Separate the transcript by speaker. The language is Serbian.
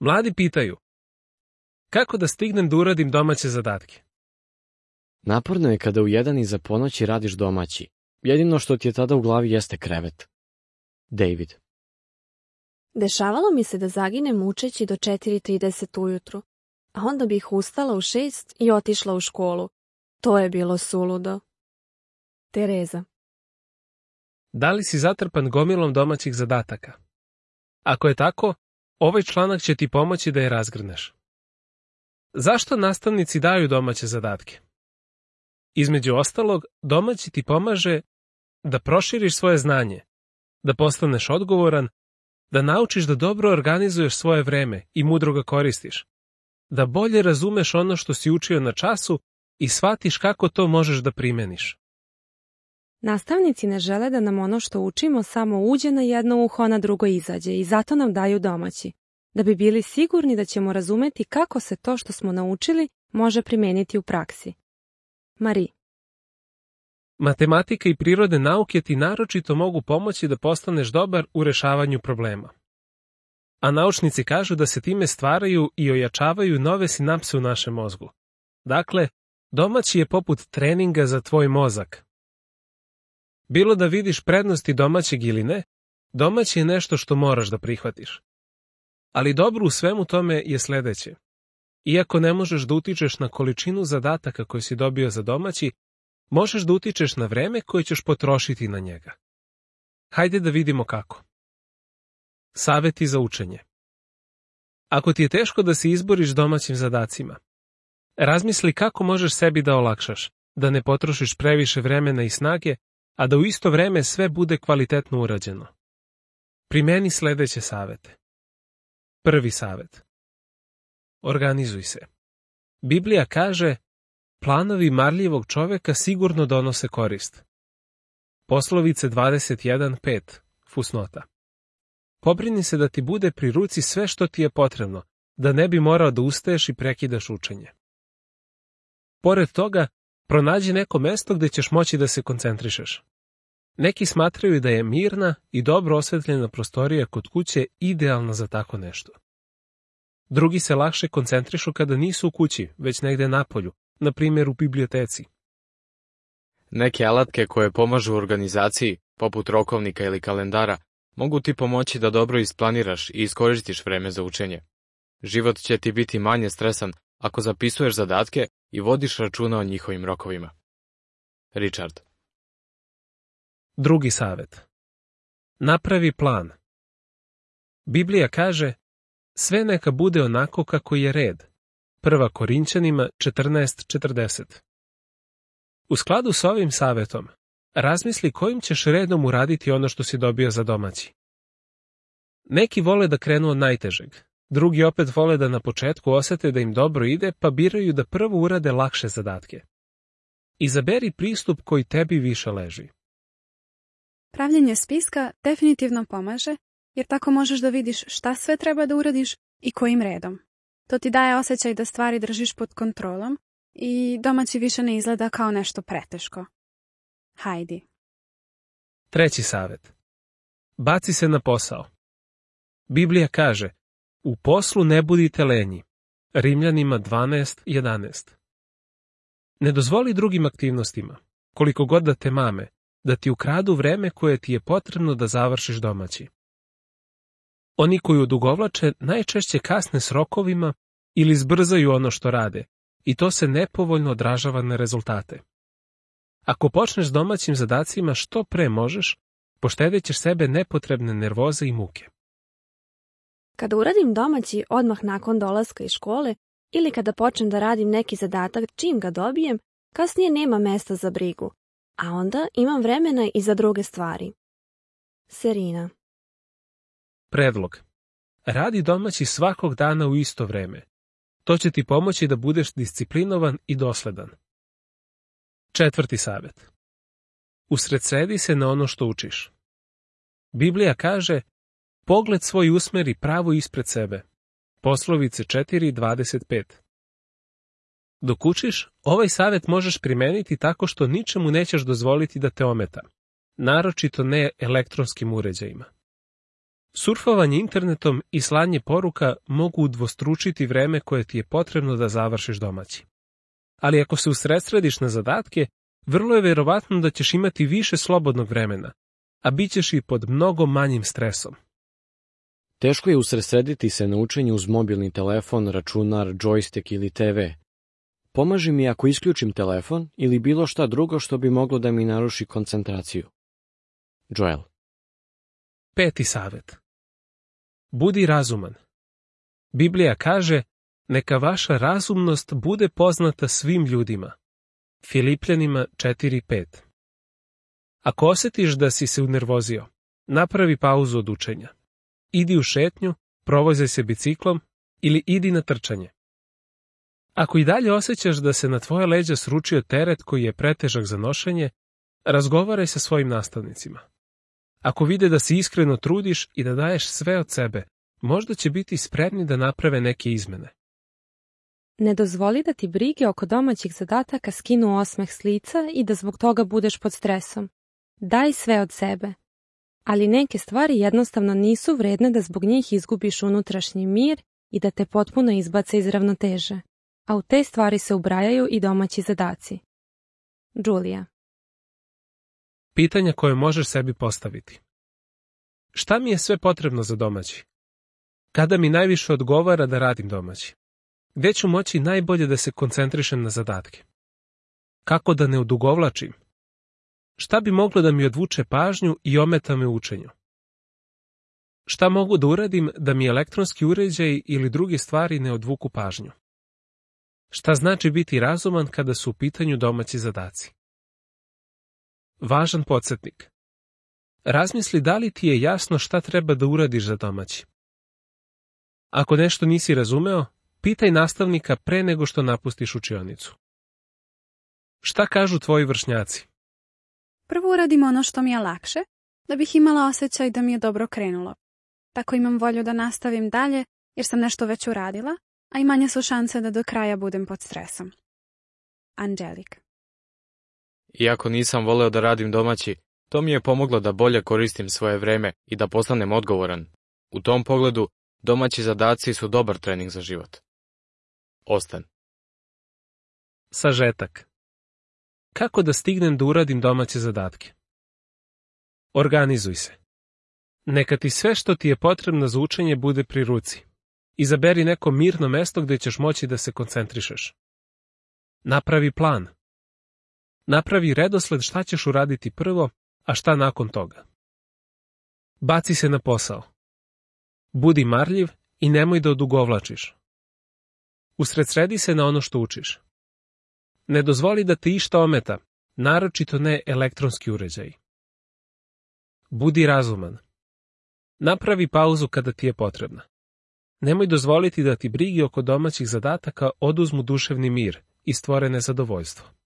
Speaker 1: Mladi pitaju, kako da stignem da uradim domaće zadatke?
Speaker 2: Naporno je kada u 1 iza ponoći radiš domaći. Jedino što ti je tada u glavi jeste krevet. David.
Speaker 3: Dešavalo mi se da zaginem učeći do 4:30 ujutru, a onda bih ustala u 6 i otišla u školu. To je bilo suludo. Tereza.
Speaker 1: Da li si zatrpan gomilom domaćih zadataka? Ako je tako, ovaj članak će ti pomoći da je razgrneš. Zašto nastavnici daju domaće zadatke? Između ostalog, domaći ti pomaže da proširiš svoje znanje, da postaneš odgovoran, da naučiš da dobro organizuješ svoje vreme i mudro ga koristiš, da bolje razumeš ono što si učio na času i shvatiš kako to možeš da primeniš.
Speaker 3: Nastavnici ne žele da nam ono što učimo samo uđe na jedno uho, a na drugo izađe i zato nam daju domaći, da bi bili sigurni da ćemo razumeti kako se to što smo naučili može primeniti u praksi. Marie.
Speaker 1: Matematika i prirodne nauke ti naročito mogu pomoći da postaneš dobar u rešavanju problema. A naučnici kažu da se time stvaraju i ojačavaju nove sinapse u našem mozgu. Dakle, domaći je poput treninga za tvoj mozak. Bilo da vidiš prednosti domaćeg ili ne, domaći je nešto što moraš da prihvatiš. Ali dobro u svemu tome je sledeće. Iako ne možeš da utičeš na količinu zadataka koje si dobio za domaći, možeš da utičeš na vreme koje ćeš potrošiti na njega. Hajde da vidimo kako. Saveti za učenje. Ako ti je teško da se izboriš s domaćim zadacima, razmisli kako možeš sebi da olakšaš, da ne potrošiš previše vremena i snage, a da u isto vreme sve bude kvalitetno urađeno. Primeni sledeće savete. Prvi savet. Organizuj se. Biblija kaže, planovi marljivog čoveka sigurno donose korist. Poslovice 21:5, fusnota. Pobrini se da ti bude pri ruci sve što ti je potrebno, da ne bi morao da ustaješ i prekidaš učenje. Pored toga, pronađi neko mesto gde ćeš moći da se koncentrišeš. Neki smatraju da je mirna i dobro osvetljena prostorija kod kuće idealna za tako nešto. Drugi se lakše koncentrišu kada nisu u kući, već negde napolju, na primjer u biblioteci.
Speaker 2: Neke alatke koje pomažu u organizaciji, poput rokovnika ili kalendara, mogu ti pomoći da dobro isplaniraš i iskoristiš vreme za učenje. Život će ti biti manje stresan ako zapisuješ zadatke i vodiš računa o njihovim rokovima. Richard.
Speaker 1: Drugi savet. Napravi plan. Biblija kaže, sve neka bude onako kako je red. 1. Korinćanima 14:40. U skladu s ovim savetom, razmisli kojim ćeš redom uraditi ono što si dobio za domaći. Neki vole da krenu od najtežeg, drugi opet vole da na početku osete da im dobro ide, pa biraju da prvo urade lakše zadatke. Izaberi pristup koji tebi više leži.
Speaker 4: Pravljenje spiska definitivno pomaže, jer tako možeš da vidiš šta sve treba da uradiš i kojim redom. To ti daje osjećaj da stvari držiš pod kontrolom i domaći više ne izgleda kao nešto preteško. Hajdi.
Speaker 1: Treći savet. Baci se na posao. Biblija kaže, u poslu ne budite lenji. Rimljanima 12:11. Ne dozvoli drugim aktivnostima, koliko god da te mame, da ti ukradu vreme koje ti je potrebno da završiš domaći. Oni koji odugovlače najčešće kasne s rokovima ili zbrzaju ono što rade, i to se nepovoljno odražava na rezultate. Ako počneš s domaćim zadacima što pre možeš, poštedećeš sebe nepotrebne nervoze i muke.
Speaker 3: Kada uradim domaći odmah nakon dolaska iz škole ili kada počnem da radim neki zadatak čim ga dobijem, kasnije nema mesta za brigu, a onda imam vremena i za druge stvari. Serina.
Speaker 1: Predlog. Radi domaći svakog dana u isto vreme. To će ti pomoći da budeš disciplinovan i dosledan. Četvrti savet. Usredsredi se na ono što učiš. Biblija kaže, pogled svoj usmeri pravo ispred sebe. Poslovice 4:25. Dok učiš, ovaj savet možeš primeniti tako što ničemu nećeš dozvoliti da te ometa, naročito ne elektronskim uređajima. Surfovanje internetom i slanje poruka mogu udvostručiti vreme koje ti je potrebno da završiš domaći. Ali ako se usredsrediš na zadatke, vrlo je verovatno da ćeš imati više slobodnog vremena, a bit ćeš i pod mnogo manjim stresom.
Speaker 5: Teško je usredsrediti se na učenje uz mobilni telefon, računar, džojstik ili TV. Pomaži mi ako isključim telefon ili bilo šta drugo što bi moglo da mi naruši koncentraciju. Joel.
Speaker 1: 5. savjet. Budi razuman. Biblija kaže, neka vaša razumnost bude poznata svim ljudima. Filipljanima 4:5. Ako osjetiš da si se unervozio, napravi pauzu od učenja. Idi u šetnju, provozaj se biciklom ili idi na trčanje. Ako i dalje osjećaš da se na tvoje leđa sručio teret koji je pretežak za nošenje, razgovaraj sa svojim nastavnicima. Ako vide da se iskreno trudiš i da daješ sve od sebe, možda će biti spremni da naprave neke izmene.
Speaker 3: Ne dozvoli da ti brige oko domaćih zadataka skinu osmeh s lica i da zbog toga budeš pod stresom. Daj sve od sebe. Ali neke stvari jednostavno nisu vredne da zbog njih izgubiš unutrašnji mir i da te potpuno izbace iz ravnoteže. A u te stvari se ubrajaju i domaći zadaci. Julia.
Speaker 1: Pitanja koje možeš sebi postaviti. Šta mi je sve potrebno za domaći? Kada mi najviše odgovara da radim domaći? Gde ću moći najbolje da se koncentrišem na zadatke? Kako da ne odugovlačim? Šta bi moglo da mi odvuče pažnju i ometa me u učenju? Šta mogu da uradim da mi elektronski uređaji ili druge stvari ne odvuku pažnju? Šta znači biti razuman kada su u pitanju domaći zadaci? Važan podsjetnik. Razmisli da li ti je jasno šta treba da uradiš za domaći. Ako nešto nisi razumeo, pitaj nastavnika pre nego što napustiš učionicu. Šta kažu tvoji vršnjaci?
Speaker 4: Prvo uradim ono što mi je lakše, da bih imala osjećaj da mi je dobro krenulo. Tako imam volju da nastavim dalje, jer sam nešto već uradila, a i manje su šanse da do kraja budem pod stresom. Angelik.
Speaker 2: Iako nisam voleo da radim domaći, to mi je pomoglo da bolje koristim svoje vreme i da postanem odgovoran. U tom pogledu, domaći zadaci su dobar trening za život. Ostan.
Speaker 1: Sažetak. Kako da stignem da uradim domaće zadatke? Organizuj se. Neka ti sve što ti je potrebno za učenje bude pri ruci. Izaberi neko mirno mesto gde ćeš moći da se koncentrišeš. Napravi plan. Napravi redosled šta ćeš uraditi prvo, a šta nakon toga. Baci se na posao. Budi marljiv i nemoj da odugovlačiš. Usredsredi se na ono što učiš. Ne dozvoli da te išta ometa, naročito ne elektronski uređaji. Budi razuman. Napravi pauzu kada ti je potrebna. Nemoj dozvoliti da ti brige oko domaćih zadataka oduzmu duševni mir i stvore nezadovoljstvo.